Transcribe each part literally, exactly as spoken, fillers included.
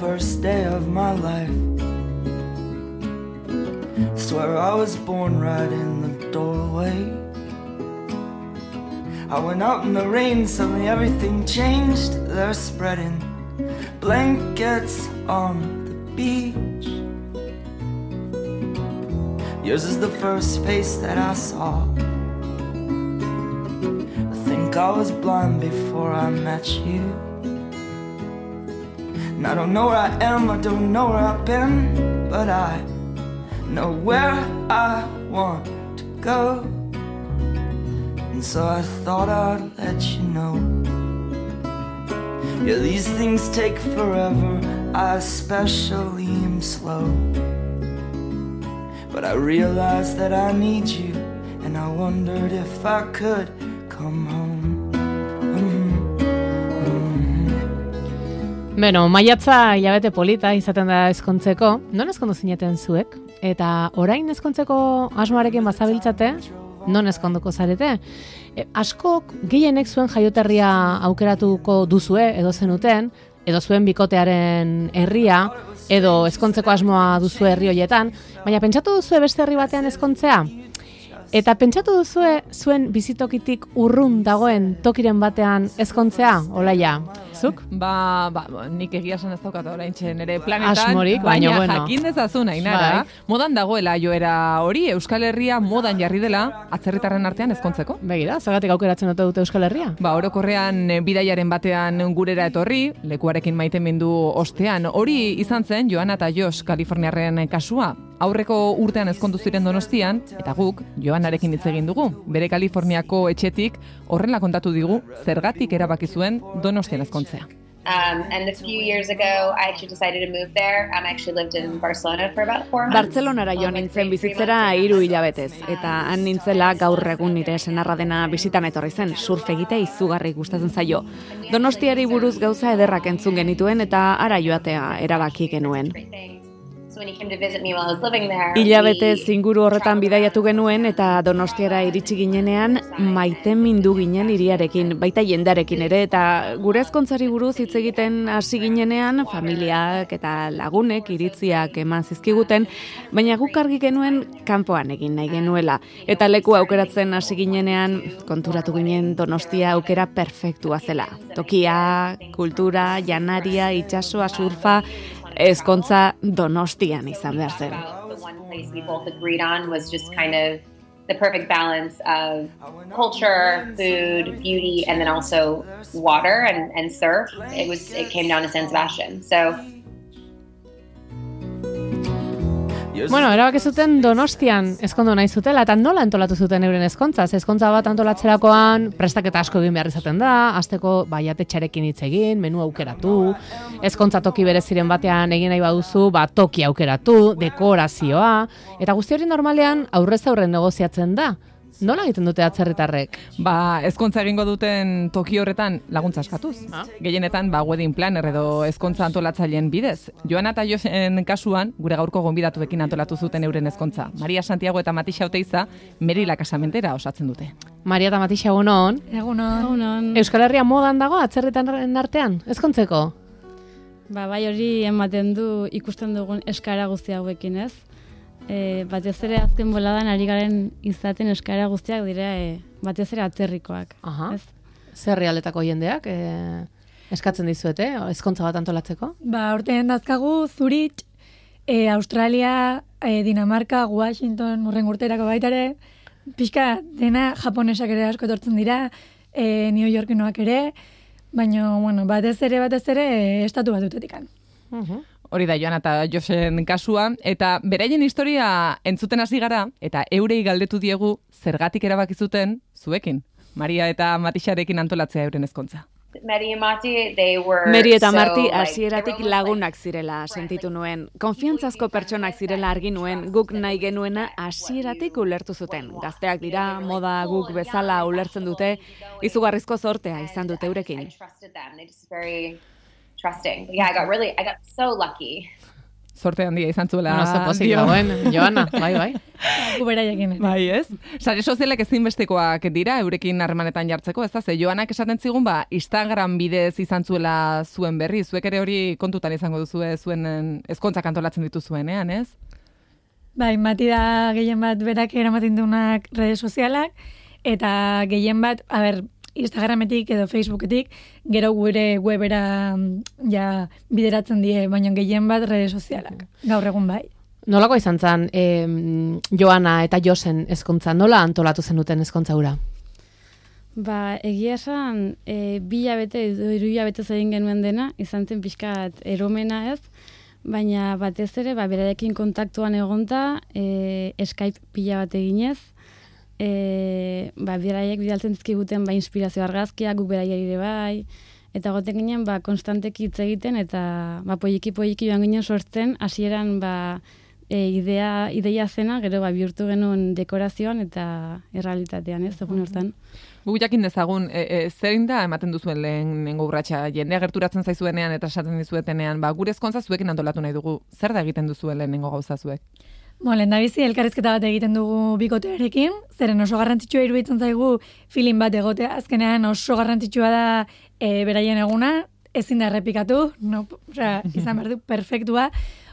first day of my life. Swear I was born right in the doorway. I went out in the rain, suddenly everything changed. They're spreading blankets on the beach. Yours is the first face that I saw. I think I was blind before I met you. And I don't know where I am, I don't know where I've been, but I know where I want to go. And so I thought I'd let you know. Yeah, these things take forever, I especially am slow. But I realized that I need you, and I wondered if I could come home. Mm-hmm. Mm-hmm. Beno, maiatza hilabete polita izaten da ezkontzeko. Non ezkondu zineten zuek? Eta orain ezkontzeko asmoarekin bazabiltzate, non ezkonduko zarete? E, askok gehienek zuen jaioterria aukeratuko duzue edo zenuten, edo zuen bikotearen herria, edo ezkontzeko asmoa duzu herri hoietan, baina pentsatu duzue beste herri batean ezkontzea? Eta pentsatu duzue zuen bizitokitik urrun dagoen tokiren batean ezkontzea, Olaia? Zuk? Ba, ba, nik egia esan ez daukat oraintxe nere planetan, Asmorik, baina baina, bueno. jakin dezazun, Ainara, Bai. modan dagoela joera hori, Euskal Herria modan jarri dela atzerritarren artean ezkontzeko. Begira, zagatik aukeratzen dute dute Euskal Herria? Ba, orokorrean eh, bidaiaren batean gurera etorri, lekuarekin maitemindu ostean. Hori izan zen Joana eta Josh Kaliforniarren kasua. Aurreko urtean ezkondu ziren Donostian, eta guk Joanarekin hitz egin dugu. Bere Kaliforniako etxetik horrela kontatu digu zergatik erabaki zuen Donostian ezkontzea. Um, and a few years ago, I actually decided to move there. Um, I actually lived in Barcelona for about four months. Bartzelonara joan nintzen bizitzera hiru hilabetez, eta han nintzela gaur egun nire senarra dena bisitan etorri zen, surf egitea izugarri gustatzen zaio. Donostiari buruz gauza ederrak entzun genituen eta ara joatea erabaki genuen. So when he came to visit me while I was living there, Hilabetez inguru horretan bidaiatu genuen eta Donostiara iritsi ginenean maitemindu ginen hiriarekin, baita jendarekin ere, eta gure ezkontzari buruz hitz egiten hasi ginenean familiak eta lagunek iritziak eman zizkiguten, baina guk argi genuen kanpoan egin nahi genuela. Eta leku aukeratzen hasi ginenean konturatu ginen Donostia aukera perfektua zela. Tokia, kultura, janaria, itsasoa, surfa, ezkontza Donostian izan behar zen. the one place we both agreed on was just kind of the perfect balance of culture, food, beauty, and then also water and, and surf. It was it came down to San Sebastian. So Bueno, erabaki zuten Donostian ezkondu nahi zutela, eta nola antolatu zuten euren ezkontza? Ezkontza bat antolatzerakoan prestaketa asko egin behar izaten da, hasteko baiatetxarekin hitz egin, menu aukeratu, ezkontza toki bereziren batean egin nahi baduzu, ba, toki aukeratu, dekorazioa, eta guzti hori normalean aurrez aurren negoziatzen da. Nola egiten dute atzerritarrek? Ba, ezkontza egingo duten toki horretan laguntza eskatuz. Ah. Gehienetan, ba, wedding planner edo ezkontza antolatzaileen bidez. Joana eta Josen kasuan, gure gaurko gonbidatuekin antolatu zuten euren ezkontza. Maria Santiago eta Matixa Oteiza Merila kasamentera osatzen dute. Maria eta Matixa, egunon. Egunon. Egunon. Euskal Herria modan dago atzerritarren artean, ezkontzeko? Ba, bai hori ematen du ikusten dugun eskaera guzti hauekin, ez? E, batez ere azken boladan ari garen izaten eskaera guztiak dira e, batez ere atzerrikoak. Aha. Ez? Zer herrialdetako jendeak e, eskatzen dizuete, ezkontza bat antolatzeko? Ba, urtean dazkagu Zurich, e, Australia, e, Dinamarka, Washington, urren urterako baitare, pixka dena japonesak ere asko etortzen dira, e, New Yorkenoak ere, baina, bueno, batez ere, batez ere, e, estatu batutetikan. Uh-huh. Hori da Joana eta Josen kasua, eta beraien historia entzuten hasi gara, eta eurei galdetu diegu zergatik erabaki zuten zuekin. Maria eta Matixarekin antolatzea euren ezkontza. Mary and Marty, they were Meri eta so, Marti like, hasieratik they were almost lagunak zirela sentitu nuen. Konfiantzazko pertsonak zirela argi nuen, guk nahi genuena hasieratik ulertu zuten. Gazteak dira, moda guk bezala ulertzen dute, izugarrizko zortea izan dute eurekin. I trusted them. They just very trusting. But yeah, I got really, I got so lucky. Zorte handia izan zuela. Bueno, zopozik dagoen, Joana, bai, bai. Gu beraiekin. Bai, ez? Sare sozialek ezinbestekoak dira, eurekin harremanetan jartzeko, ez da? Ze Joanak esaten zigun, ba, Instagram bidez izan zuela zuen berri, zuek ere hori kontutan izango duzue zuen ezkontzak antolatzen dituzuenean, ez? Bai, bati da gehien bat berak eramaten duenak rede sozialak, eta gehien bat, a ber, Instagrametik edo Facebooketik, gero gure webera ja bideratzen die, baina gehien bat rede sozialak, gaur egun bai. Nolako izan zen, eh, Joana eta Josen ezkontza, nola antolatu zenuten ezkontza hura? Ba, egia esan, e, bi hilabete, hiru hilabete egin genuen dena, izan zen pixkat eromena ez, baina batez ere, ba, berarekin kontaktuan egonta, e, Skype pila bat eginez, e, ba, beraiek bidaltzen dizkiguten ba, inspirazio argazkiak, guk beraiek ere bai, eta goten ginen, ba, konstanteki hitz egiten, eta ba, poiki-poiki joan ginen sortzen, hasieran ba, e, idea, ideia zena, gero ba, bihurtu genuen dekorazioan eta errealitatean, ez, egun hortan. Gu jakin dezagun, e, e, zein da ematen duzuen lehenengo urratsa, jendea gerturatzen zaizuenean eta esaten dizuetenean, ba, gure ezkontza zuekin antolatu nahi dugu, zer da egiten duzuen lehenengo gauza zuek? Bo, lehen da bizi, elkarrizketa bat egiten dugu bikotearekin, zeren oso garrantzitsua iruditzen zaigu feeling bat egotea, azkenean oso garrantzitsua da e, beraien eguna, ezin da errepikatu, no, osea, izan behar du perfektua,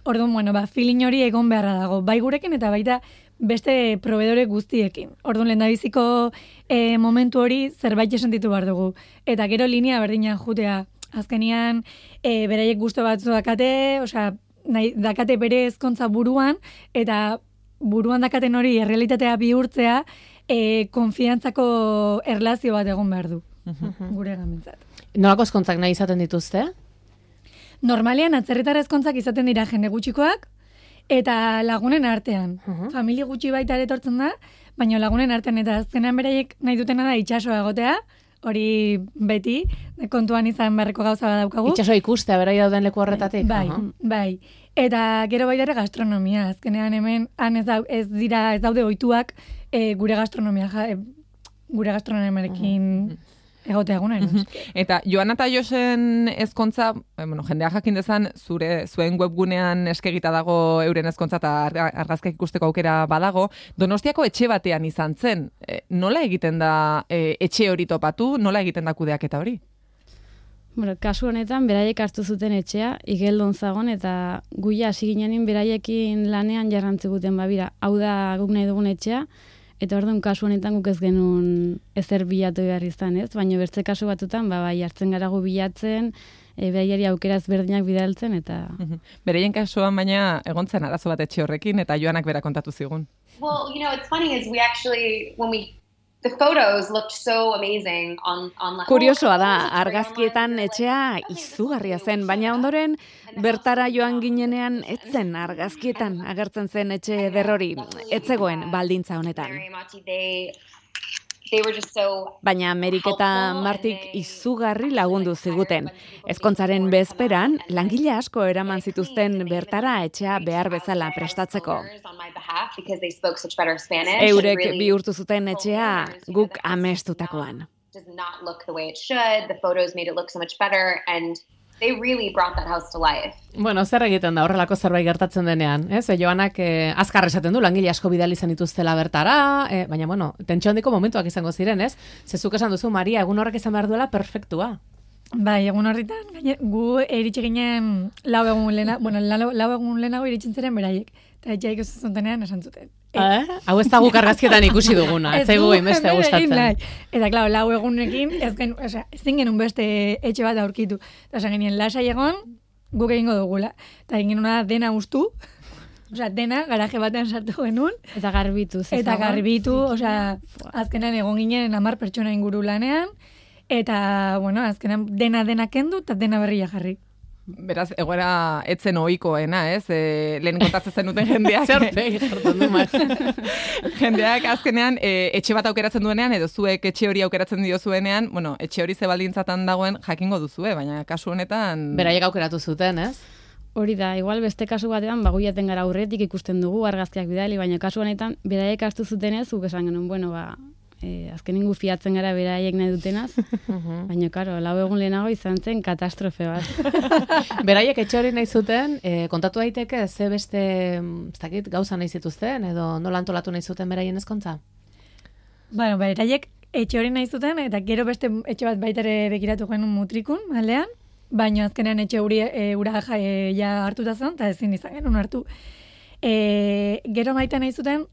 orduan, bueno, ba, feeling hori egon beharra dago, bai gurekin eta baita beste proveedore guztiekin. Orduan, lehendabiziko e, momentu hori zerbait sentitu behar dugu. Eta gero linea berdinan jutea. Azkenian, e, beraiek gustu batzu dakate, osea, nahi, dakate bere ezkontza buruan, eta buruan dakaten hori errealitatea bihurtzea, e, konfiantzako erlazio bat egon behar du. Gure gamentzat. Nolako ezkontzak nahi izaten dituzte? Normalean, atzerritar ezkontzak izaten dira jende gutxikoak, eta lagunen artean. Uh-huh. Familia gutxi baita ere etortzen da, baina lagunen artean, eta azkenean beraiek nahi dutena da itxasoa egotea, hori beti, kontuan izan beharreko gauza bat daukagu. Itxasoa ikustea, berai dauden leku horretatik? Bai, uh-huh. bai. Eta gero baita ere gastronomia, azkenean hemen, han ez, da, ez dira, ez daude ohituak e, gure gastronomia, ja, e, gure gastronomiarekin uh-huh. egotea egunen. Uh-huh. Eta Joana eta Josen ezkontza, bueno, jendea jakin dezan, zure, zuen webgunean eskegita dago euren ezkontza eta argazkak ikusteko aukera badago, Donostiako etxe batean izan zen. E, nola egiten da e, etxe hori topatu, nola egiten da kudeaketa hori? Bueno, kasu honetan, beraiek hartu zuten etxea, igeldon zagon, eta guia hasi ginenin beraiekin lanean jarrantziguten, babira, hau da guk nahi dugun etxea, eta orduan kasu honetan guk ez genuen ezer bilatu behar izan, ez? Baina bertze kasu batutan, ba, bai, hartzen gara gu bilatzen, e, beraiari aukera ezberdinak bidaltzen, eta... Bereien kasuan baina egontzen arazo bat etxe horrekin, eta Joanak bera kontatu zigun. Well, you know, it's funny is we actually, when we... The photos looked so amazing on online. Kuriosoa da, argazkietan etxea izugarria zen, baina ondoren bertara joan ginenean etzen argazkietan agertzen zen etxe ederrori, etzegoen baldintza honetan. Baina Amerik eta Martik izugarri lagundu ziguten. Ezkontzaren bezperan, langile asko eraman zituzten bertara etxea behar bezala prestatzeko. Eurek bihurtu zuten etxea guk amestutakoan. They really brought that house to life. Bueno, zer egiten da horrelako zerbait gertatzen denean, ez? E, Joanak eh, azkar esaten du, langile asko bidali izan dituztela bertara, eh, baina, bueno, tentsio handiko momentuak izango ziren, ez? Zezuk esan duzu, Maria, egun horrek izan behar duela perfektua. Bai, egun horretan, gaine, gu eritxe ginen lau egun lehena, bueno, lau, lau egun lehenago iritzen ziren beraiek, eta etxaik ez zuntenean esan zuten. Eh? Hau ez da guk argazkietan ikusi duguna, ez zaigu beste gustatzen. Eta, klar, lau egunekin, ez gen, oza, ezin genuen beste etxe bat aurkitu. Eta, oza, genien lasai egon, guk egingo dugula. Eta, egin genuen dena ustu, oza, dena, garaje batean sartu genuen. Eta garbitu. Eta garbitu, oza, azkenan egon ginen hamar pertsona inguru lanean, eta, bueno, azkenan dena dena kendu, eta dena berria jarri. Beraz, egoera etzen ohikoena, ez? E, lehen kontatzen zenuten jendeak. Zerpegi jartzen du, mar. Jendeak azkenean e, etxe bat aukeratzen duenean, edo zuek etxe hori aukeratzen diozuenean, bueno, etxe hori zebaldintzatan dagoen jakingo duzue, baina kasu honetan... Beraiek aukeratu zuten, ez? Hori da, igual beste kasu batean, baguiaten gara aurretik ikusten dugu argazkiak bidali, baina kasu honetan, beraiek hartu zutenez, guk esan genuen, bueno, ba, e, azkeningu fiatzen gara beraiek nahi dutenaz, baina, karo, lau egun lehenago izan zen katastrofe bat. Beraiek etxe hori nahi zuten, e, kontatu daiteke, ze beste, ez dakit, gauza nahi zituzten, edo nola antolatu nahi zuten beraien ezkontza? Bueno, beraiek etxe hori nahi zuten, eta gero beste etxe bat baitare bekiratu genuen mutrikun, aldean, baina azkenean etxe hori e, ura ja, e, ja hartuta zen, eta ezin izan genuen hartu. E, gero maite nahi zuten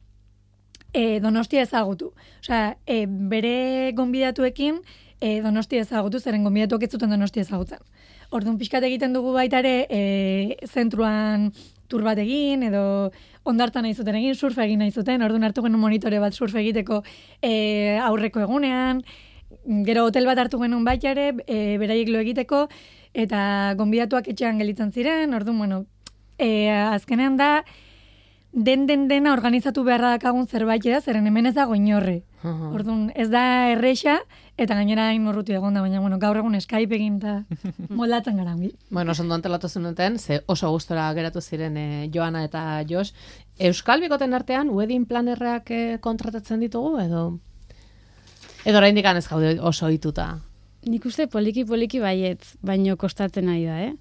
e, Donostia ezagutu. Osea, e, bere gonbidatuekin e, Donostia ezagutu, zeren gonbidatuak ez zuten Donostia ezagutzen. Orduan pixkat egiten dugu baitare e, zentruan tur bat egin, edo ondartan nahi zuten egin, surfa egin nahi zuten, orduan hartu genuen monitore bat surfa egiteko e, aurreko egunean, gero hotel bat hartu genuen baita ere, e, beraiek lo egiteko, eta gonbidatuak etxean gelitzen ziren, orduan, bueno, e, azkenean da, den den dena organizatu beharra dakagun zerbait da, zeren hemen ez dago inorre. Uh-huh. Orduan, ez da erreixa, eta gainera hain urruti egon da, baina bueno, gaur egun Skype egin eta moldatzen gara. Bueno, oso ondo antolatu zenuten, ze oso gustora geratu ziren e, Joana eta Jos. Euskal bikoten artean, wedding planerrak e, kontratatzen ditugu, edo edo oraindik ez gaude oso ohituta? Nik uste poliki-poliki baietz, baino kostatzen nahi da, eh?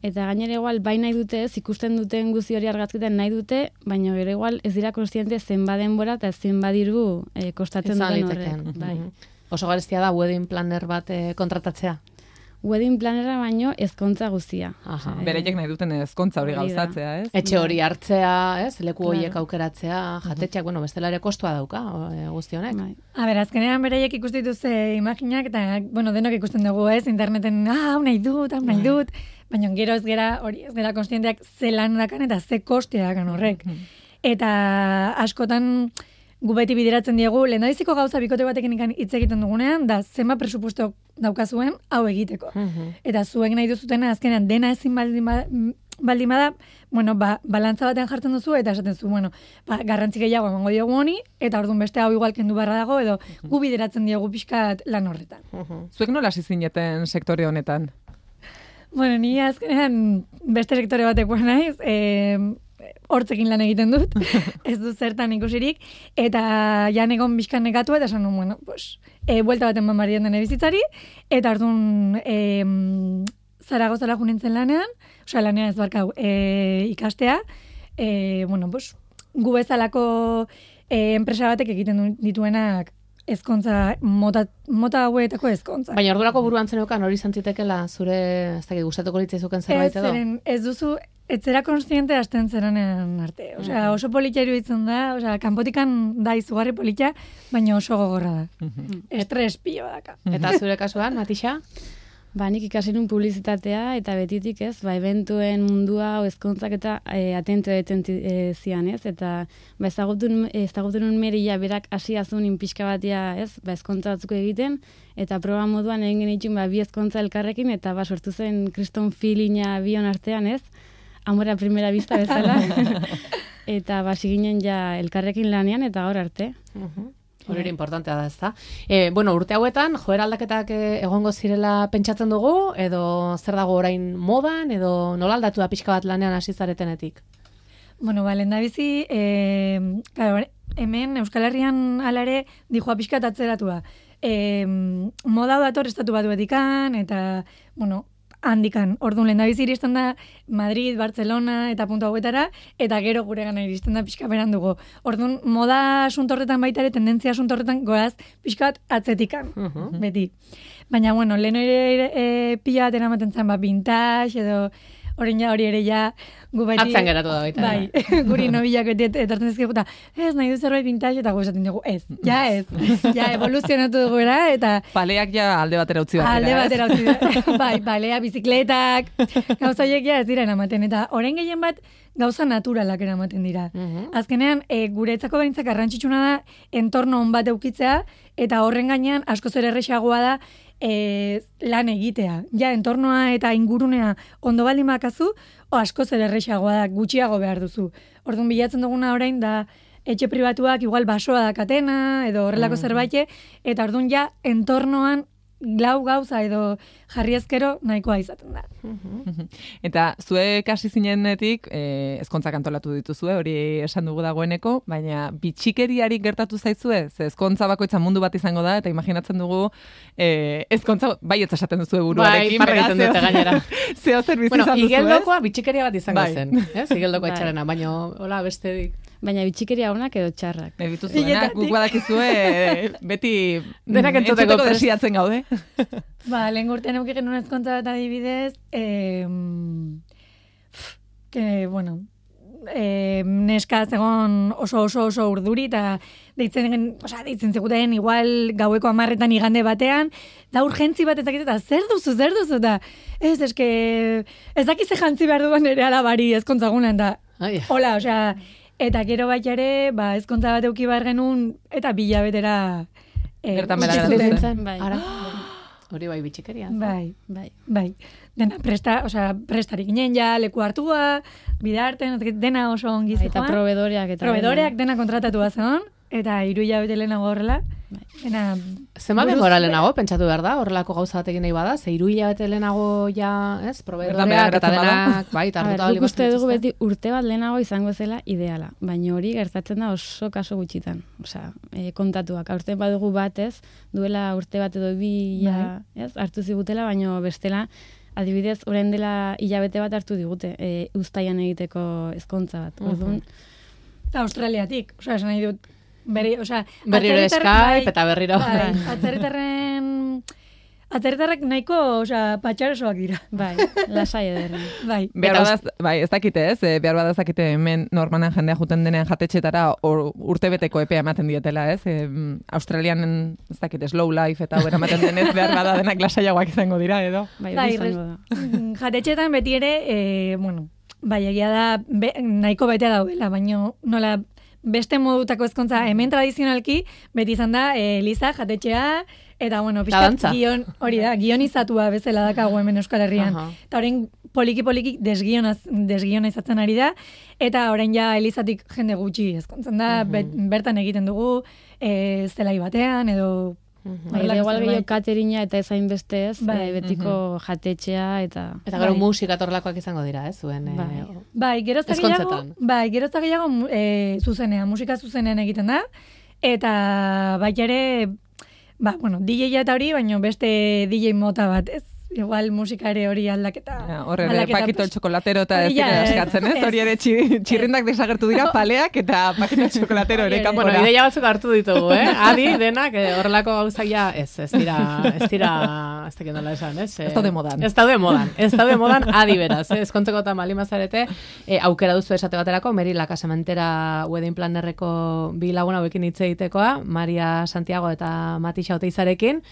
Eta gainera igual, bai nahi dute, ez ikusten duten guzi hori argazkiten nahi dute, baina gero igual ez dira konstiente zenba denbora eta zenba diru eh, kostatzen duten horrek. Bai. Oso garestia da wedding planner bat eh, kontratatzea? Wedding planera baino ezkontza guztia. Aha. E, Bereiek nahi duten ezkontza hori gauzatzea, ez? Etxe hori hartzea, ez? Leku horiek claro. Aukeratzea, jatetxeak, bueno, bestela ere kostua dauka, guzti honek. Bai. A ber, azkenean bereiek ikusten dituzte imaginak, eta, bueno, denok ikusten dugu, ez? Interneten, ah, hau nahi dut, hau nahi dut, baina gero ez gera, hori, ez gera konstienteak ze lan dakan eta ze kostea dakan horrek. Eta askotan gu beti bideratzen diegu, lehendabiziko gauza bikote batekin hitz egiten dugunean, da zenba presupuesto daukazuen hau egiteko. Uh-huh. Eta zuek nahi duzutena azkenean dena ezin baldin bada, baldin bada bueno, ba, balantza batean jartzen duzu, eta esaten zu, bueno, ba, garrantzi gehiago emango diogu honi, eta orduan beste hau igual kendu barra dago, edo uh-huh. gu bideratzen diegu pixkat lan horretan. Uh-huh. Zuek nola hasi zineten sektore honetan? Bueno, ni azkenean beste sektore batekoa naiz, eh, hortzekin lan egiten dut, ez du zertan ikusirik, eta jan egon bizkan negatu, eta esan nun, bueno, pues, e, buelta baten bamarien dene bizitzari, eta orduan e, Zaragozara junintzen lanean, osea, lanean ez barkau, e, ikastea, e, bueno, pues, gu bezalako e, enpresa batek egiten dituenak ezkontza, mota, mota hauetako ezkontza. Baina ordurako buruan zeneukan hori zantzitekela zure, ez dakit, gustatuko litzaizuken zerbait edo? Ez, zeren, ez duzu, ez zera konstiente hasten zeranen arte. Osea, oso politia iruditzen da, osea, kanpotikan da izugarri politia, baina oso gogorra da. Uh-huh. Estres pilo daka. Eta zure kasuan, Matixa? Ba, nik ikasi nun publizitatea, eta betitik ez, ba, eventuen mundua, o ezkontzak eta e, atento eten e, zian, ez? Eta, ba, ezagutu nun merila berak hasi azun inpixka batia, ez? Ba, ezkontza batzuk egiten, eta proba moduan egin genitxun, ba, bi ezkontza elkarrekin, eta, ba, sortu zen kriston feelinga bion artean, ez? Amora primera vista bezala. Eta, ba, ginen ja elkarrekin lanean, eta gaur arte. Uh-huh. Hori ere importantea da, ezta. E, bueno, urte hauetan, joera aldaketak egongo zirela pentsatzen dugu, edo zer dago orain modan, edo nola aldatu da pixka bat lanean hasi zaretenetik? Bueno, ba, lehendabizi, e, claro, hemen Euskal Herrian alare dijoa pixka atzeratu da. E, moda dator estatu batuetikan, eta, bueno, handikan. Orduan, lehendabizi iristen da Madrid, Barcelona eta puntu hauetara, eta gero gure gana iristen da pixka berandugo. Orduan, moda asuntorretan baita ere, tendentzia asuntorretan goaz pixkat atzetikan, uh-huh. beti. Baina, bueno, lehen ere e, pila bat eramaten zen, ba, vintage, edo orain ja hori ere ja gu beti... Atzan geratu da baita. Bai, guri nobilak beti etortzen dizkigu, eta ez, nahi du zerbait vintage, eta gu esaten dugu, ez, ja ez, ja evoluzionatu dugu era, eta... Paleak ja alde batera utzi batera, Alde batera utzi batera, bai, palea, bizikletak, gauza horiek ja ez dira eramaten, eta orain gehien bat gauza naturalak eramaten dira. Uh-huh. Azkenean, e, guretzako behintzak garrantzitsuna da, entorno on bat eukitzea, eta horren gainean askoz ere erresagoa da, E, lan egitea. Ja, entornoa eta ingurunea ondo baldin bakazu, o askoz ere erresagoa da, gutxiago behar duzu. Orduan bilatzen duguna orain da etxe pribatuak igual basoa dakatena, edo horrelako mm. zerbait, eta orduan ja entornoan lau gauza edo jarri ezkero nahikoa izaten da. Eta zuek hasi zinenetik, eh, ezkontzak antolatu dituzue, hori esan dugu dagoeneko, baina bitxikeriarik gertatu zaizue, ze ezkontza bakoitza mundu bat izango da, eta imaginatzen dugu eh, ezkontza baietz esaten duzue buruarekin. Bai, parra egiten dute gainera. Zeo zer bizi bueno, izan duzu, ez? igeldokoa bitxikeria bat izango Bai. zen, ez? Igeldoko Bai. etxarena, baina hola bestedik. Baina bitxikeria onak edo txarrak. Nahi dituzuenak, guk badakizue eh, beti Denak mm, entzuteko prest. desiatzen gaude. Ba, lehen urtean euki genuen ezkontza bat adibidez, eh, que, bueno, eh, neska zegon oso oso oso urduri, eta deitzen, gen, osea, deitzen zeguten igual gaueko amarretan igande batean, da urgentzi bat ezakit, eta zer duzu, zer duzu, eta ez, eske, ez dakize jantzi behar duan ere alabari ezkontzagunan, da, Ai. hola, osea, eta gero baita ere, ba, ezkontza bat euki behar genuen, eta bilabetera eh, Bertan utzi behera zuten. gelditzen. Bai. Ara, hori bai bitxikeria. Bai, Bai. bai. Dena presta, osea, prestarik ginen ja, leku hartua, bidarten, dena oso ongi Bai, zijoan. eta provedoreak eta Provedoreak dena kontratatu bazen, eta hiru hilabete lehenago horrela. Dena, Zenbat buruz- denbora lehenago, pentsatu behar da, horrelako gauza bat egin nahi bada, ze hiru hilabete lehenago ja, ez, Bertan proveedoreak behera eta geratzen bada. denak, bai, eta A ber, hartuta bali guk uste dugu dituzte. beti urte bat lehenago izango zela ideala, baina hori gertatzen da oso kaso gutxitan. Osea, e, kontatuak, aurten badugu batez, duela urte bat edo bi ja, ez, hartu zigutela, baina bestela, adibidez, orain dela hilabete bat hartu digute, e, uztaian egiteko ezkontza bat. Orduan, eta Australiatik, osea, esan nahi dut, berri, osea, Berriro atzerritar- Skype bai, eta berriro. Bai, atzerritarren, atzerritarrak nahiko, osea, patxarosoak dira. bai, lasai ederren. Bai. Behar Eta badaz, bai, ez dakite ez, eh, behar badaz dakite hemen normalan jendea juten denean jatetxetara or, urtebeteko epea ematen dietela, ez? E, Australian, ez dakite, slow life eta hau ematen denez behar bada denak lasaiagoak izango dira, edo? Bai, Bai, hori izango res- da. Mm, jatetxetan beti ere, e, bueno, bai, egia da, be, nahiko bete daudela, baina nola beste modutako ezkontza, hemen tradizionalki, beti izan da, e, Eliza, jatetxea, eta, bueno, dantza. pixkat gion, hori da, gionizatua bezala dakago hemen Euskal Herrian. Aha. Eta orain poliki-poliki desgionaz, desgiona izatzen ari da, eta orain ja Elizatik jende gutxi ezkontzen da, bet- bertan egiten dugu, e, zelai batean, edo... Bai, horrelako igual zerbait. gehiago katerina eta ezain beste ez, Bai. eh, betiko jatetxea eta... Eta gero Bai. musika torlakoak izango dira, ez, zuen. eh, Bai. Bai, gerozta gehiago, Ezkontzetan. bai, gerozta gehiago mu- e, zuzenean, musika zuzenean egiten da, eta baita ere, ba, bueno, D J eta hori, baina beste D J mota bat, ez? Igual musika ere hori aldaketa. Ja, Horre ere, aldaketa, pakito el pues, txokolatero eta ez hori ja, dira ez, eskatzen, ez? ez. Hori ere txi- txirrindak desagertu dira, paleak eta pakito el txokolatero ere Hori ere. kanpora. Bueno, ideia batzuk hartu ditugu, eh? Adi, denak, eh, horrelako gauzak ja, ez, ez dira, ez dira, ez dakit nola esan, ez? Eh, Ez daude modan. Ez daude modan, ez daude modan adi beraz, eh? Ezkontzeko eta malimazarete, eh, aukera duzu esate baterako, Meri La Casamentera wedding plannerreko bi lagun hauekin hitz egitekoa, Maria Santiago eta Mati Xauteizarekin,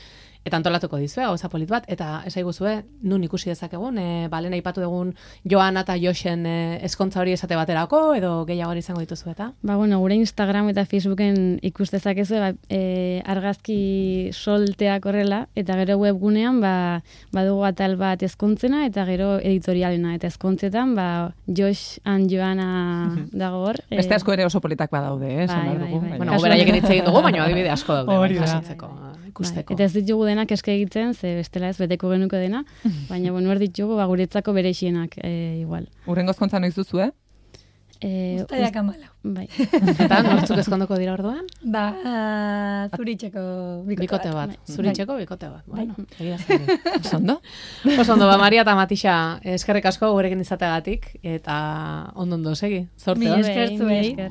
eta antolatuko dizue, gauza polit bat, eta esaiguzue, nun ikusi dezakegun, e, balen aipatu dugun Joana eta Joxen e, eskontza hori esate baterako, edo gehiago izango dituzu eta? Ba, bueno, gure Instagram eta Facebooken ikus dezakezu, ba, e, argazki solteak horrela, eta gero webgunean, ba, badugu atal bat ezkontzena, eta gero editorialena, eta ezkontzetan, ba, Josh and Joana dago hor. e, Beste asko ere oso politak badaude, eh? esan Bai, behar bai, dugu, bai. baina- Bueno, Kasu beraiekin honetan- hitz egin dugu, baina adibide asko daude, Hori bai, da. jasotzeko, ikusteko. Bai, eta ez ditugu denak eske egiten, ze bestela ez beteko genuko dena, baina bueno, hor ditugu, ba, guretzako berexienak e, igual. Urrengo ezkontza noiz duzu, eh? E, Uztaiak amalau. bai. Eta nortzuk ezkondoko dira orduan? Ba, zuritxeko bikote, Bikote bat, Bai. zuritxeko bikote bat. Bai. Bueno, egirazten du. Oso ondo? Oso ondo, ba, Maria eta Matixa, eskerrik asko gurekin izateagatik, eta ondo ondo segi. Zorte Mi hon. esker zuei. esker.